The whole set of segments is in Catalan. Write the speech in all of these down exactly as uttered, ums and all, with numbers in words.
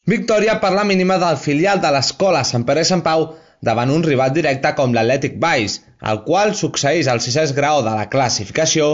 Victòria per la mínima del filial de l'Escola Sant Pere i Sant Pau davant un rival directe com l'Atlètic Valls, el qual succeeix al sisè grau de la classificació,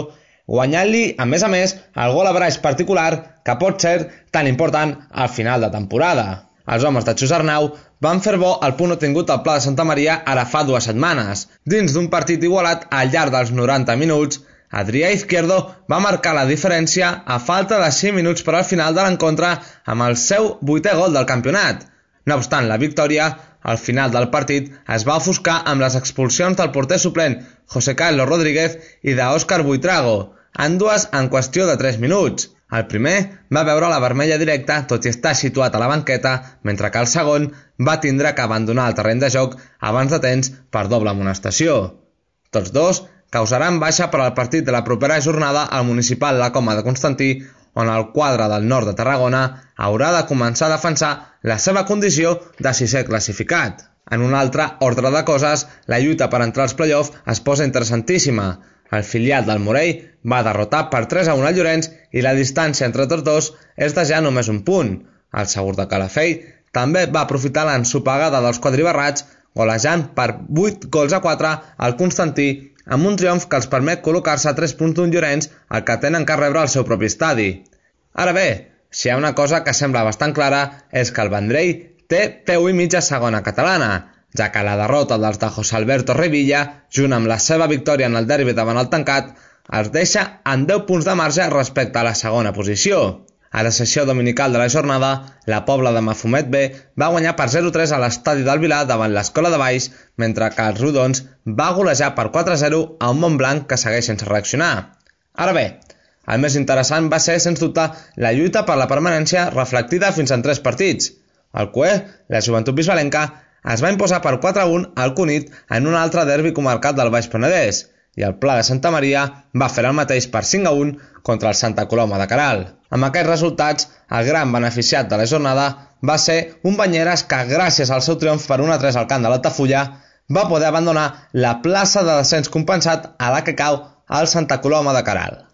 guanyant-li, a més a més, el gol a braç particular que pot ser tan important al final de temporada. Els homes de Xus Arnau van fer bo el punt obtingut al Pla de Santa Maria ara fa dues setmanes. Dins d'un partit igualat al llarg dels noranta minuts, Adrià Izquierdo va marcar la diferència a falta de cinc minuts per al final de l'encontre amb el seu vuitè gol del campionat. No obstant la victòria, al final del partit es va ofuscar amb les expulsions del porter suplent José Carlos Rodríguez i d'Òscar Buitrago, ambdues en qüestió de tres minuts. El primer va veure la vermella directa tot i estar situat a la banqueta, mentre que el segon va tindre que abandonar el terreny de joc abans de temps per doble amonestació. Tots dos causaran baixa per al partit de la propera jornada al municipal La Coma de Constantí, on el quadre del nord de Tarragona haurà de començar a defensar la seva condició de sisè classificat. En un altre ordre de coses, la lluita per entrar als play-off es posa interessantíssima. El filial del Morell va derrotar per tres a un al Llorenç i la distància entre tots dos és de ja només un punt. El Segur de Calafell també va aprofitar l'ensopegada dels quadribarrats, golejant per vuit gols a quatre al Constantí, amb un triomf que els permet col·locar-se a tres punts d'un Llorenç, el que tenen que rebre al seu propi estadi. Ara bé, si hi ha una cosa que sembla bastant clara és que el Vendrell té peu i mitja segona catalana, ja que la derrota dels de José Alberto Revilla, junt amb la seva victòria en el derbi davant el Tancat, els deixa en deu punts de marge respecte a la segona posició. A la sessió dominical de la jornada, la Pobla de Mafumet B va guanyar per zero a tres a l'estadi del Vilar davant l'Escola de Valls, mentre que els Rodons va golejar per quatre a zero a un Montblanc que segueix sense reaccionar. Ara bé, el més interessant va ser, sens dubte, la lluita per la permanència reflectida fins en tres partits. El Cué, la Joventut Bisbalenca, es va imposar per quatre a un al Cunit en un altre derbi comarcat del Baix Penedès, i el Pla de Santa Maria va fer el mateix per cinc a un contra el Santa Coloma de Queralt. Amb aquests resultats, el gran beneficiat de la jornada va ser un Banyeres que, gràcies al seu triomf per un a tres al camp de l'Altafulla, va poder abandonar la plaça de descens compensat a la que cau el Santa Coloma de Queralt.